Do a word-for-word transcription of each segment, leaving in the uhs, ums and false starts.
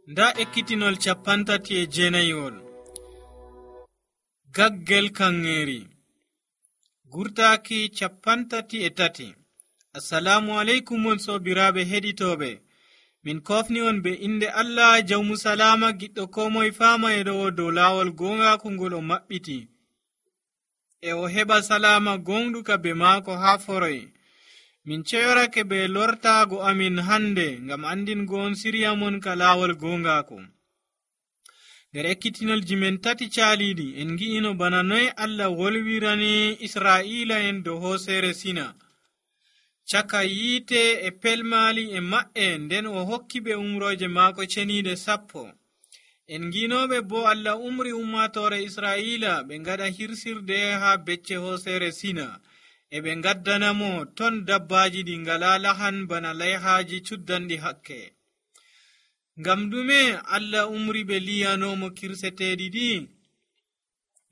nda ekkitinol capantati e jeenayiwol. Gaggel kanŋeeri gurtaaki capantati e tati. Assalamu aleykum on soobiraaɓe heɗitooɓe, min kofni on be inde Allah jawmu salama giɗɗo ko moye faama e ɗo dow laawol goongaaku ngol o maɓɓiti e o heɓa salama gonɗuka be maako haa foroy. Min ceyorake be lortaago amin hande ngam andingo on siriya mon ka laawol goongaaku. Nder ekkitinolji men tati caaliiɗi en ngi'ino bana noy Allah wolwirani Israa'iila en dow hooseere Sina caka yiite e pelmaali e maɓɓe, nden o hokki ɓe umrooje maako ceniiɗe sappo. En ngiinoɓe bo Allah umri ummatoore Israa'iila ɓe ngaɗa hirsirde haa becce hooseere Sina e ɓe ngaddanamo ton dabbaaji ɗi ngalaa lahan bana layhaaji cuddanɗi hakke. Ngam ɗume Allah umri ɓe liyanomo kirseteeɗi ɗi?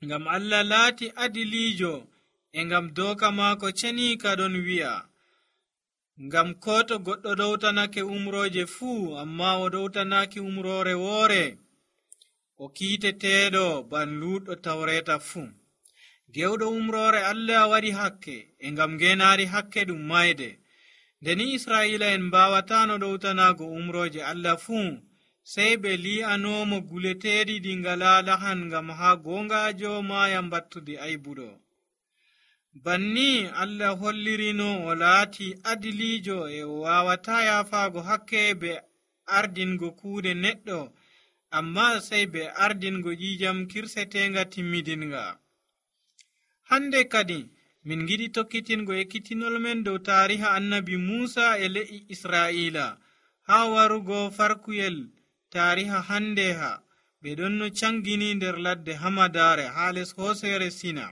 Ngam Allah laati adiliijo e ngam dooka maako ceniika ɗon wi'a, ngam ko to goɗɗo ɗowtanake umrooje fuu amma o ɗowtanaki umroore woore, o kiiteteeɗo ban luuɗɗo tawreeta fuu. Gewɗo umroore Allah waɗi hakke e ngam ngenaari hakke ɗum mayde. Ndeni Israa'iila en mbawatano ɗowtanago umrooje Allah fuu, sey ɓe li'anomo guleteeɗi ɗi ngalaa lahan ngam haa goongaajo maaya mbattude aybuɗo. Banni Allah hollirino o laati adiliijo e o wawata yafaago hakke be ardingo kuuɗe neɗɗo, amma sey be ardingo ƴiƴam kirsetenga timmidinga. Hande kadi min giɗi tokkitingo ekkitinol men dow taariha annabi Muusa e le'i Israa'iila haa warugo farkuyel taariha hande ha ɓe ɗon no cangini nder ladde Hamadaare haa les hooseere Sina.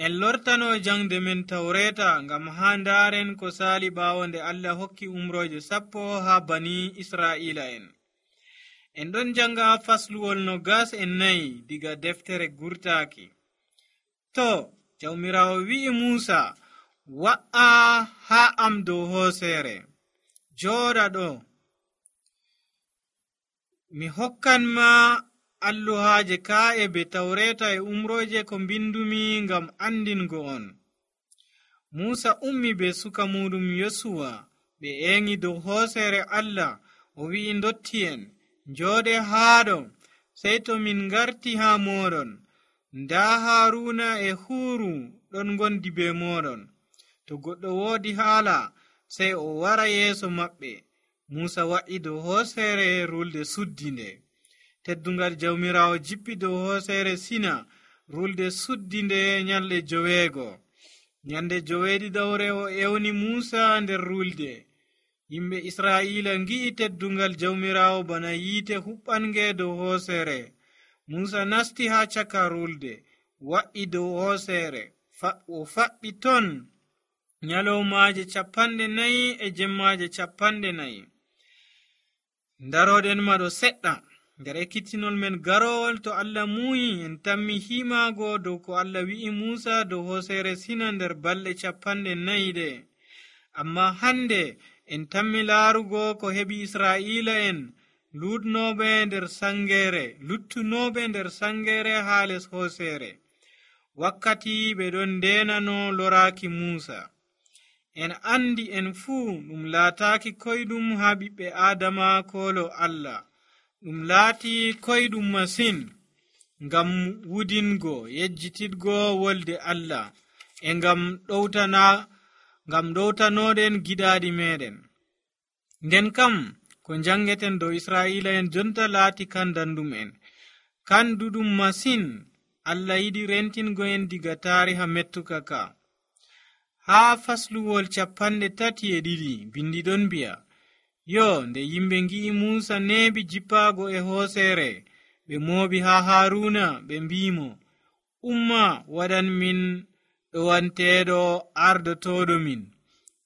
En lortano jangde men tawreeta ngam haa ndaaren ko saali ɓaawo nde Allah hokki umrooje sappo haa bani Israa'iila en. En ɗon janga fasluwol no gas en nayi diga deftere gurtaaki. To, jawmirawo wi'i Muusa, wa'a haa am dow hooseere, jooɗa ɗo. Mi hokkan ma alluhaaje kaa'e be tawreeta e umrooje ko mbindumi ngam andingo on. Muusa ummi be suka muɗum Yosuwa ɓe eŋi dow hooseere Allah, o wi'i ndotti'en, njooɗe haaɗo, sey to min ngarti haa mooɗon. Ndaa Haaruna e Huuru ɗon ngondi be mooɗon. To goɗɗo woodi haala, sey o wara yeeso maɓɓe. Muusa wa'i dow hooseere rulde suddinde. Teddungal jawmirawo jippi dow hooseere Sina, rulde suddinde nyalɗe joweego. Nyande joweeɗiɗawre o ewni Muusa nder rulde. Yimɓe Israa'iila ngi'i teddungal jawmirawo bana yiite huɓɓange dow hooseere. Muusa nasti haa caka rulde, wa'i dow hooseere, o faɓɓi ton nyalowmaaje capanɗe nayi e jemmaaje capanɗe nayi. Ndaroɗen maɗo seɗɗa. Nder ekkitinol men garowol to Allah muuyi en tammi himaago dow ko Allah wi'i Muusa dow hooseere Sina nder balɗe capanɗe nayi ɗe. Amma hande en tammi laarugo ko heɓi Israa'iila en luɗnoɓe nder sangere luttunoɓe nder sangere haa les hooseere, wakkati ɓe ɗon ndenano loraaki Muusa. En andi en fuu ɗum laataaki koyɗum haa ɓiɓɓe Aadama koolo Allah. Ɗum laati koyɗum masin ngam wudingo yejjitidgo wolde Allah e ngam ɗowtana ngam ɗowtanoɗen giɗaaɗi meɗen. Nden kam ko jangeten dow Israa'iila en jonta laati kan dandum en, kan duɗum masin. Allah yiɗi rentingo en diga taariha mettuka ka. Haa fasluwol capanɗe tati e ɗiɗi bindi ɗon mbi'a, yo nde yimɓe ngi'i Muusa neebi jippaago e hooseere, ɓe mooɓi haa Haaruna ɓe mbimo, umma waɗan min ɗowanteeɗo ardotooɗo min,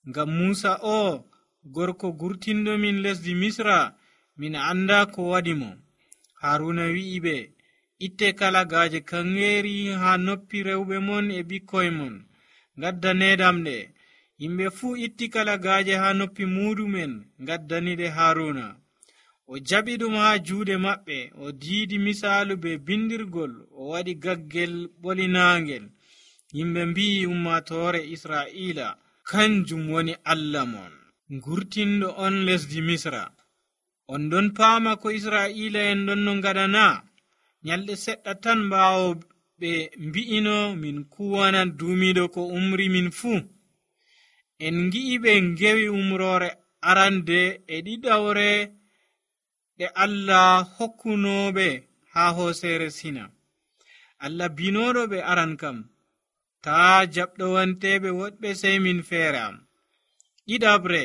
ngam Muusa o gorko gurtinɗo min lesdi Misra, min anda ko waɗi mo. Haaruna wi'i ɓe, itte kalagaaje kanŋeeri haa noppi rewɓe mon e ɓikkoy mon, ngaddaneedam ɗe. Yimɓe fuu itti kalagaaje haa noppi muuɗumen, ngaddani ɗe Haaruna. o jaɓi ɗum haa juuɗe maɓɓe, o diidi misaalu be bindirgol, o waɗi gaggel ɓolinaangel. Yimɓe mbi'i ummatoore Israa'iila, kanjum woni Allah mon, ngurtinɗo on lesdi Misra. On ɗon paama ko Israa'iila'en ɗon no ngaɗana. Nyalɗe seɗɗa tan ɓaawo ɓe mbi'ino min kuwana duumiiɗo ko umri min fuu. En ngi'i ɓe ngewi umroore arande e ɗiɗawre ɗe Allah hokkunooɓe haa hooseere Sina. Allah binooɗo ɓe aran kam, taa jaɓɗowanteɓe woɗɓe sey min feere am. Ɗiɗabre,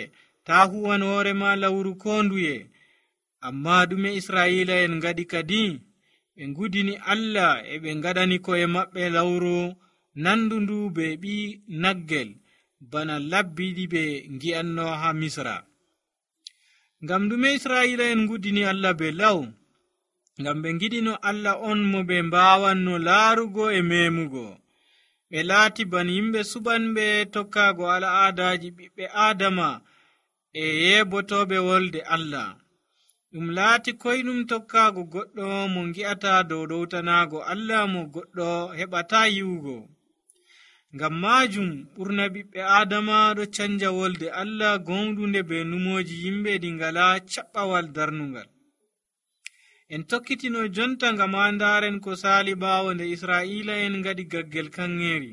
taa huwan hoore ma lawru ko nduye. Amma ɗume Israa'iila'en ngaɗi kadi? Ɓe ngudini Allah e ɓe ngaɗani ko'e maɓɓe lawru nandundu be ɓi naggel, bana labbiɗi ɓe ngi'anno haa Misra. Ngam ɗume Israa'iila'en ngudini Allah be law? Ngam ɓe ngiɗino Allah on mo ɓe mbaawanno laarugo e meemugo. Ɓe laati ban yimɓe suɓanɓe tokkaago al'aadaaji ɓiɓɓe Aadama e yeebotoɓe wolde Allah. Ɗum laati koyɗum tokkaago goɗɗo mo ngi'ata dow ɗowtanaago Allah mo goɗɗo heɓata yi'ugo. Ngam maajum ɓurna ɓiɓɓe Aadama ɗo canja wolde Allah gonɗunde be numooji yimɓe ɗi ngalaa caɓɓawal darnungal. En tokkitino jonta ngam andaren ko saali ɓaawo nde Israa'iila'en ngaɗi gaggel kanŋeeri.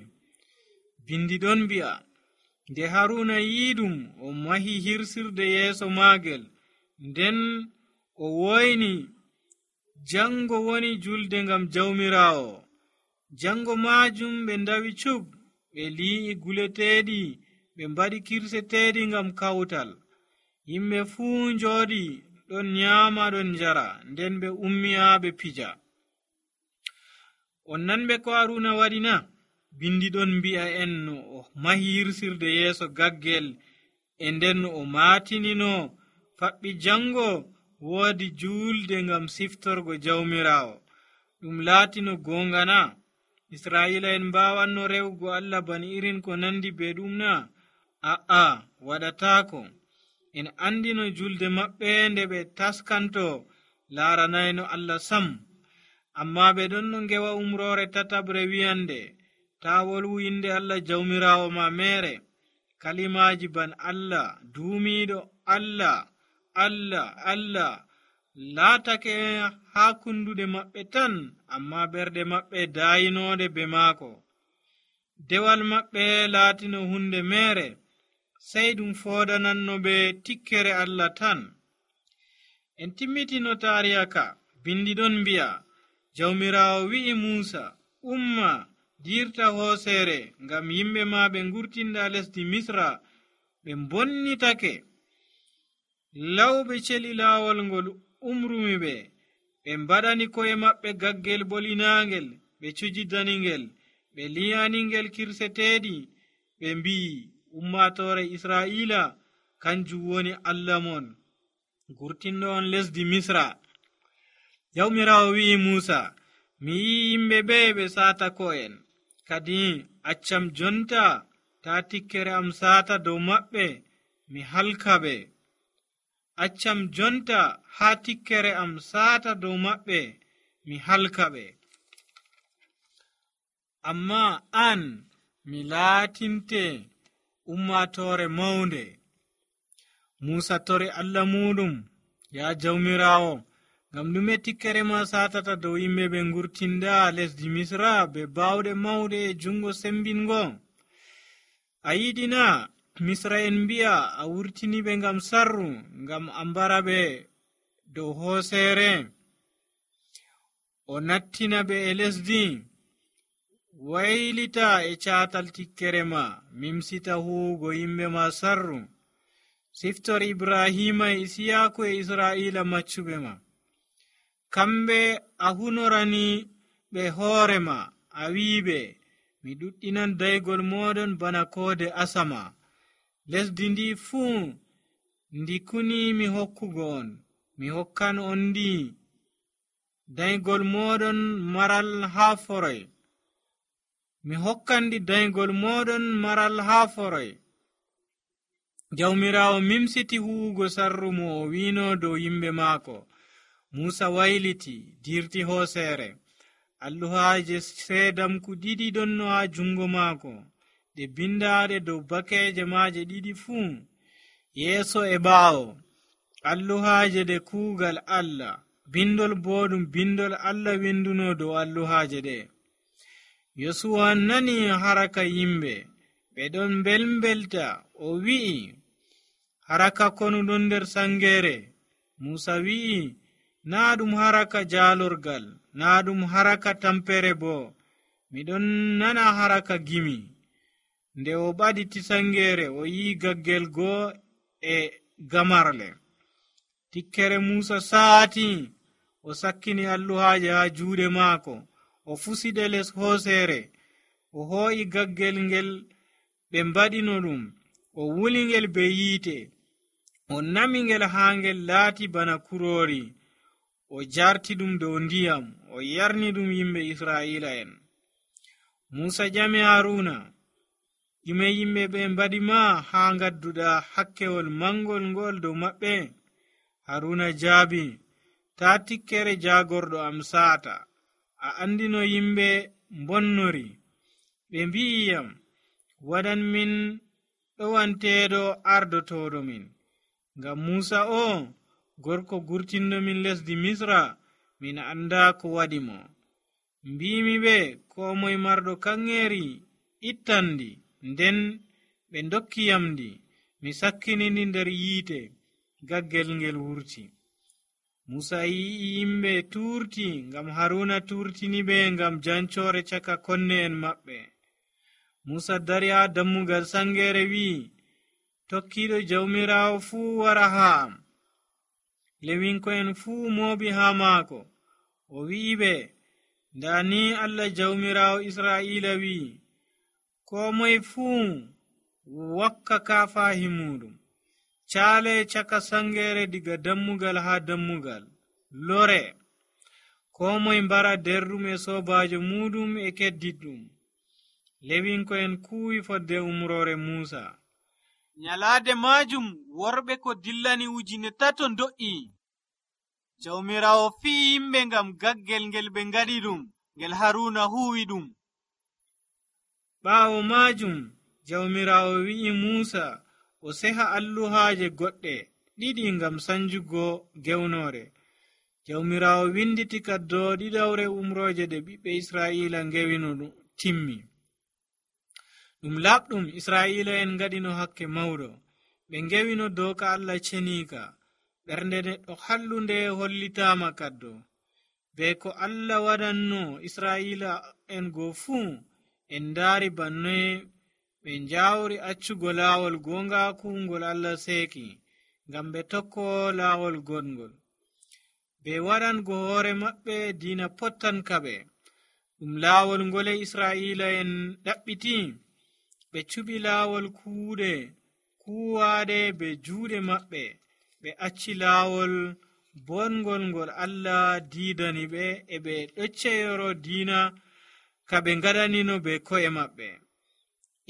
Bindi ɗon mbi'a, nde Haruna yiiɗum o mahi hirsirde yeeso maagel, nden o woyni jango woni julde ngam jawmiraawo. Jango maajum ɓe ndawi cub, ɓe li'i guleteeɗi, ɓe mbaɗi kirseteeɗi ngam kawtal. Yimɓe fuu njooɗi ɗon nyaama ɗon njara, nden ɓe ummi haa ɓe pija. On nanɓe ko Haruna waɗi na? Bindi ɗon mbi'a en no o mahi hirsirde yeeso gaggel, e nden o maatinino faɓɓi jango woodi juulde ngam siftorgo jawmiraawo. Ɗum laatino goonga na? Israa'iila'en mbaawanno rewugo Allah bani irin ko nandi be ɗum na? A'a, waɗataako. En andino julde maɓɓe nde ɓe taskanto laaranayno Allah sam. Amma ɓe ɗon no ngewa umroore tatabre wi'ande, taa wolwu inde Allah jawmiraawo ma mere. Kalimaaji ban Allah, duumiiɗo Allah, Allah, Allah laatake haa kunduɗe maɓɓe tan, amma ɓerɗe maɓɓe daayinoode be maako. Dewal maɓɓe laatino hunde mere, sey ɗum foodananno ɓe tikkere Allah tan. En timmitino taariya ka. Bindi ɗon mbi'a, jawmiraawo wi'i Muusa, umma dirta hooseere, ngam yimɓe ma ɓe ngurtinda lesdi Misra ɓe bonnitake. Lawɓe celi laawol ngol umrumi ɓe, ɓe mbaɗani ko'e maɓɓe gaggel ɓolinaangel, ɓe cujidaningel, ɓe liyaningel kirseteeɗi, ɓe mbi'i, ummatoore Israa'iila, kanjum woni Allah mon, ngurtinɗo on lesdi Misra. Jawmiraawo wi'i Muusa, mi yi'i yimɓe ɓe ɓe saata ko'en, kadi accam jonta taa tikkere am saata dow maɓɓe, mi halka ɓe. Accam jonta haa tikkere am saata dow maɓɓe, mi halka ɓe. Amma an mi laatinte ummatoore mawnde. Muusa tori Allah muɗum, yaa jawmiraawo, ngam ɗume tikkere ma saatata dow yimɓe ɓe ngurtinda lesdi Misra be baawɗe mawɗe e jungo sembingo? A yiɗina Misra en mbi'a a wurtini ɓe ngam sarru, ngam a mbara ɓe dow hooseere, o nattina ɓe e lesdi. Waylita e caatal tikkere ma, mimsita huugo yimɓe ma sarru. Siftor Ibrahima e Isiyaaku e Israa'iila maccuɓe ma. Kamɓe a hunorani ɓe hoore ma, a wi'iɓe, mi ɗuɗɗinan daygol moɗon bana koode asama. Lesdi ndi fuu ndikuni mi hokkugo on, mi hokkan on ndi daygol moɗon maral haa foroy. Mi hokkan ndi daygol moɗon maral haa foroy. jawmiraawo mimsiti huwugo sarru mo o wiino dow yimɓe maako. Muusa wayliti dirti hooseere. Alluhaaje seedamku ɗiɗi ɗonno haa jungo maako, ɗe bindaade dow bakeeje maaje ɗiɗi fuu, yeeso e ɓaawo. Alluhaaje ɗe kuugal Allah, bindol boɗum bindol Allah winduno dow alluhaaje ɗe. Yosuwa nani haraka yimɓe ɓe ɗon mbelmbelta, o wi'i, haraka konuɗon nder sangeere. Muusa wi'i, naa ɗum haraka jaalorgal, naa ɗum haraka tampere bo, miɗon nana haraka gimi. Nde o ɓaditi sangeere, o yi'i gaggel goo e gamarle. Tikkere Muusa saati, o sakkini alluhaaje haa juuɗe maako, o fusiɗe les hooseere, o hoo'i gaggel ngel ɓe mbaɗino ɗum, o wuli ngel be yiite, o nami ngel haa ngel laati bana kuroori, o jarti ɗum dow ndiyam, o yarni ɗum yimɓe Israa'iila'en. Muusa ƴami Haaruna, ɗume yimɓe ɓe mbaɗi ma haa ngadduɗa hakkewol mangol ngol dow maɓɓe? Haaruna jaabi, taa tikkere jaagorɗo am saata. A andino yimɓe mbonnori, ɓe mbi'iyam, waɗan min ɗowanteeɗo ardotooɗo min. Ngam Muusa o, gorko gurtinɗo min lesdi Misra, min anda ko waɗi mo. Mbimi ɓe, ko moye marɗo kanŋeeri ittandi, nden ɓe dokkiyamdi, mi sakkinindi nder yiite, gaggel ngel wurti. Muusa yi'i yimɓe tuurti, ngam Haruna turtini ɓe ngam jancoore caka konne en maɓɓe. Muusa dari haa dammugal sangeere wi'i, tokkiiɗo jawmiraawo fuu wara haa am. Lewinko'en fuu mooɓi haa maako. O wi'i ɓe, ndaa ni Allah jawmiraawo Israa'iila wi'i, ko moye fuu wakka kafaahi muɗum, caale caka sangeere diga dammugal haa dammugal, lore, ko moye mbara derɗum e soobaajo muɗum e keddiɗɗum. Lewinko'en kuwi fodde umroore Muusa. Nyalaade maajum worɓe ko dillani ujine tato do'i. Jawmiraawo fi'i yimɓe ngam gaggel ngel ɓe ngaɗi ɗum, ngel Haruna huwi ɗum. Ɓaawo maajum, jawmiraawo wi'i Muusa o seha alluhaaje goɗɗe ɗiɗi ngam sanjugo gewnoore. Jawmiraawo winditi kaddo ɗiɗawre umrooje ɗe ɓiɓɓe Israa'iila ngewino timmi. Ɗum laɓɗum Israa'iila'en ngaɗino hakke mawɗo, ɓe ngewino dooka Allah ceniika. Ɓernde neɗɗo hallunde hollitaama kaddo, be ko Allah waɗanno Israa'iila'en goo fuu, en ndaari banne ɓe njawri accugo laawol goongaaku ngol Allah seeki, ngam ɓe tokko laawol gongol. Ɓe waɗango hoore maɓɓe diina pottanka ɓe. Ɗum laawol ngole Israa'iila'en ɗaɓɓiti, ɓe cuɓi laawol kuuɗe kuwaaɗe be juuɗe maɓɓe, ɓe acci laawol bongol ngol Allah diidani ɓe, e ɓe ɗocceyoro diina ka ɓe ngaɗanino be ko'e maɓɓe.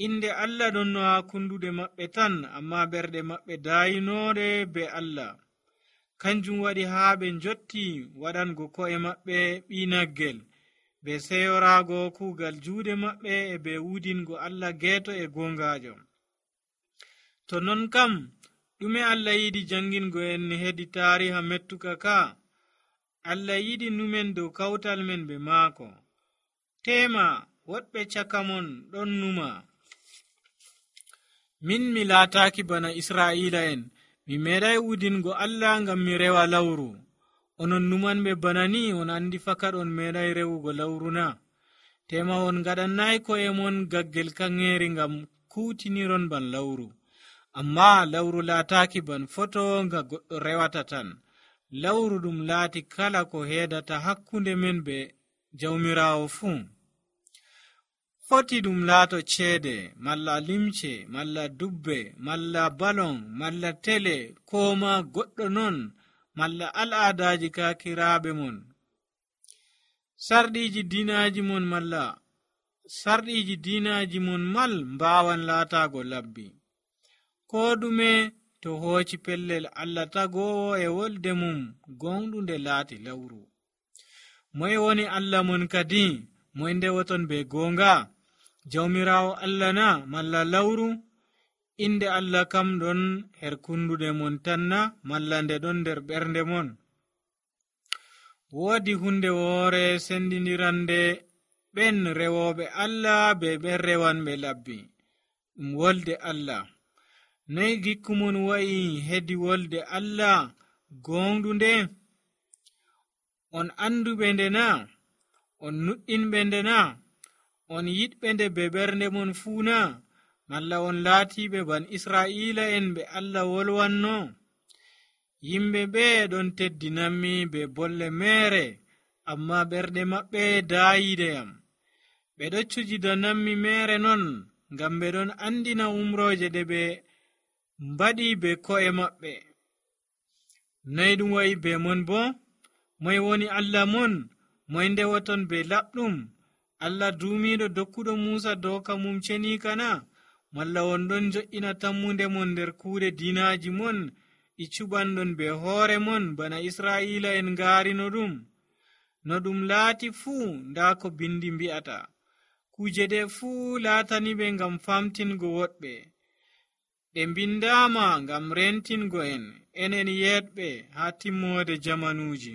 Inde Allah ɗonno haa kunduɗe maɓɓe tan, amma ɓerɗe maɓɓe daayinoɗe be Allah. Kanjum waɗi haa ɓe njotti waɗango ko'e maɓɓe ɓiinaggel, be seyoraago kuugal juuɗe maɓɓe, e be wudingo Allah geeto e goongaajo. To non kam, ɗume Allah yiɗi jangingo en hedi taariha mettuka ka? Allah yiɗi numen dow kawtal men be maako. Tema woɗɓe caka mon ɗon numa, min mi laataaki bana Israa'iila'en, mi meeɗay wudingo Allah ngam mi rewa lawru. Onon numanɓe bana ni, on andi fakat on meeɗay rewugo lawru na? Tema on ngaɗannay ko'e mon gaggel kanŋeeri ngam kuutiniron ban lawru. Amma lawru laataaki ban foto nga goɗɗo rewata tan. Lawru ɗum laati kala ko heedata hakkunde men be jawmiraawo fuu. Foti ɗum laato ceede, malla limce, malla dubbe, malla balon, malla tele, ko ma goɗɗo non, malla al'aadaaji kaakiraaɓe mon. Sarɗiiji diinaaji mon malla sarɗiiji diinaaji mon mal mbaawan laataago labbi. koo ɗume to hooci pellel Allah tagoowo e wolde mum gonɗunde laati lawru. Moye woni Allah mon kadi? Moye ndewoton be goonga? Jawmiraawo Allah na malla lawru? Inde Allah kam ɗon her kundude mon tan na malla nde ɗon nder ɓernde mon? Woodi hunde woore sendindirande ɓen rewooɓe Allah be ɓen rewanɓe labbi, ɗum wolde Allah. Noy gikku mon wa'i hedi wolde Allah gonɗunde? On anduɓe nde na? On nuɗɗinɓe nde na? On yiɗɓe nde be ɓernde mon fuu na? Malla on laatiɓe ban Israa'ila en ɓe Allah wolwanno? Yimɓe ɓe ɗon teddinammi be bolle meere, amma ɓerɗe maɓɓe daayideyam. Ɓe ɗo cujidanammi meere non, ngam ɓe ɗon andina umrooje ɗe ɓe mbaɗi be ko'e maɓɓe. Noy ɗum wa'i be mon bo? Moye woni Allah mon? Moye ndewoton be laɓɗum? Allah duumiiɗo dokkuɗo Muusa dooka mum ceniika na? Malla on ɗon jo'ina tammunde mon nder kuuɗe diinaaji mon ɗi cuɓanɗon be hoore mon bana Israa'ila en ngaarino ɗum? No ɗum laati fuu, ndaa ko bindi mbi'ata. Kuje ɗe fuu laatani ɓe ngam famtingo woɗɓe. Ɗe mbindaama ngam rentingo en, enen yeɗɓe haa timmoode jamanuuji.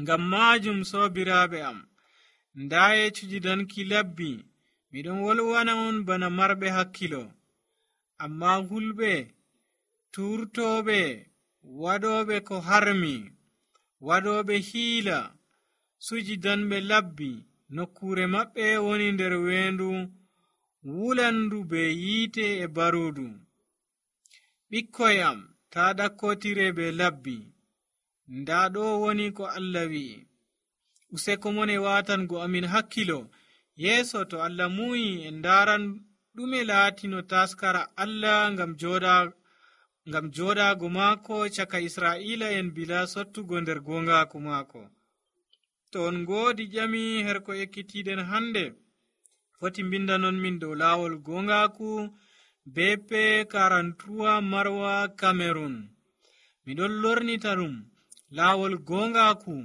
Ngam maajum soobiraaɓe am, ndaaye cujidanki labbi, miɗon wolwana on bana marɓe hakkilo. Amma hulɓe, turtooɓe, waɗooɓe ko harmi, waɗooɓe hiila, sujidanɓe labbi, nokkuure maɓɓe woni nder weendu wulandu be yiite e baruudu. Ɓikkoy am, taa ɗakkotire be labbi. Ndaa ɗo woni ko Allah wi'i. Useko mon e waatango amin hakkilo, yeeso to Allah muuyi en ndaaran ɗume laatino taskara Allah ngam jooɗa ngam jooɗaago maako caka Israa'ila en bila sottugo nder gongaaku maako. To on ngoodi ƴami her ko ekkitiiɗen hande, foti mbindanon min dow laawol gongaaku B P quarante-trois Marwa Cameroon. Miɗon lornita ɗum laawol gongaaku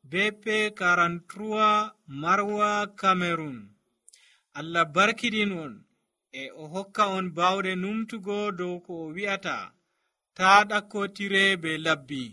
B P quarante-trois Marwa Cameroon. Allah barkidin on e o hokka on bawɗe numtugo dow ko o wi'ata, taa ɗakkotire be labbi.